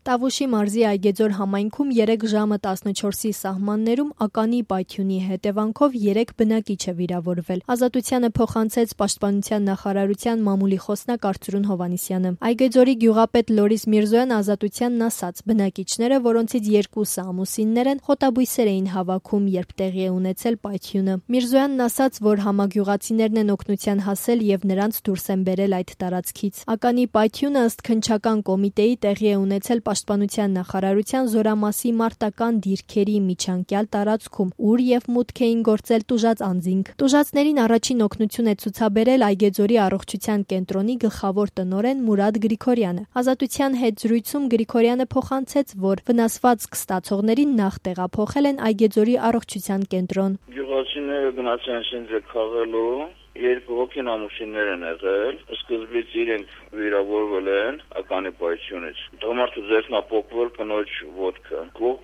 Տավուշի մարզի Այգեձոր համայնքում 3 ժամը 14-ի սահմաններում ականի պայթյունի հետևանքով 3 բնակիչ է վիրավորվել։ Ազատությանը փոխանցեց Պաշտպանության նախարարության մամուլի խոսնակ Արծրուն Հովհաննիսյանը։ Այգեձորի գյուղապետ Լորիս Միրզոյան ազատությանն ասաց. բնակիչները, որոնցից 2-ը ամուսիններ են, խոտաբույսեր էին հավաքում, երբ տեղի է ունեցել պայթյունը։ Միրզոյանն ասաց, որ համագյուղացիներն են օգնության հասել եւ նրանց դուրս են բերել այդ տարածքից։ Ականի պայթյունը ըստ քննչական կոմիտեի տեղի է ունեցել Պաշտպանության նախարարության Զորամասի մարտական դիրքերի միջանկյալ տարածքում, ուր եւ մուտք էին գործել տուժած անձինք։ Տուժածներին առաջին օգնություն է ցուցաբերել Այգեձորի առողջության կենտրոնի գլխավոր տնօրեն Մուրադ Գրիգորյանը։ Ազատության հետ զրույցում Գրիգորյանը փոխանցեց, որ վնասվածք ստացողներին նախ տեղափոխել են Այգեձորի առողջության կենտրոն։ Գյուղացիները գնացել են շենքը քաղելու 2 հոգին ամուսիններ են եղել, սկզբից իրենք վիրավորվել են ականի պայթյունից։ Տղամարդու ձեռքն ապոկվել կնոջ ոտքը։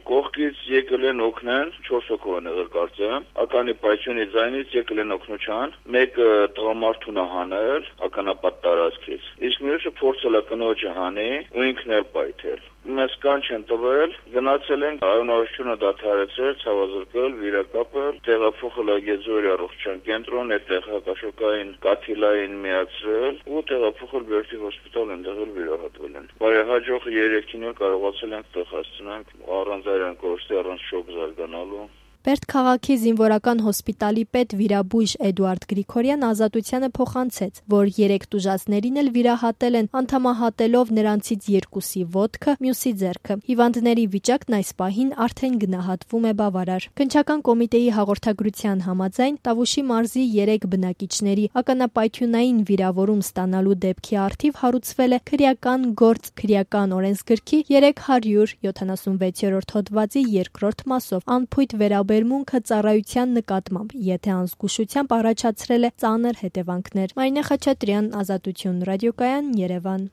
Կողքից եկել են օգնեն, 4 հոգով են եղել կարծեմ։ Ականի պայթյունի ձայնից եկել են օգնության, մեկը տղամարդուն է հանել ականապատ տարածքից։ Իսկ մյուսը փորձել է կնոջը հանի ու ինքն էլ պայթել։ Մեզ կանչ են տվել, գնացել ենք արյունարությունը դադարեցրել, ցավազրկել, վիրակապել, տեղափոխել Այգեձորի առողջության կենտրոն, այդտեղ հակաշոկային կաթիլային միացրել ու տեղափոխել Բերդի հոսպիտալ, այնտեղ էլ վիրահատվել են։ Բարեհաջող 3-ին էլ կարողացել ենք տեղ հասցնել առանց արյան կորստի, առանց շոկ զարգանալու։ Բերդ քաղաքի զինվորական հոսպիտալի պետ վիրաբույժ Էդուարդ Գրիգորյան ազատությանը փոխանցեց, որ 3 տուժածներին էլ վիրահատել են, անդամահատելով նրանցից 2-ի ոտքը, մյուսի ձեռքը։ Հիվանդների վիճակն այս պահին արդեն գնահատվում է բավարար։ Քննչական կոմիտեի հաղորդագրության համաձայն Տավուշի մարզի 3 բնակիչների ականապայթյունային վիրավորում ստանալու դեպքի առթիվ հարուցվել է քրեական գործ քրեական օրենսգրքի 376-րդ հոդվածի 2-րդ մասով անփույթ վերաբերմունքը ծառայության նկատմամբ, եթե անզգուշությամբ առաջացրել է ծանր հետևանքներ։ Մարինե Խաչատրյան, Ազատություն ռադիոկայան, Երևան։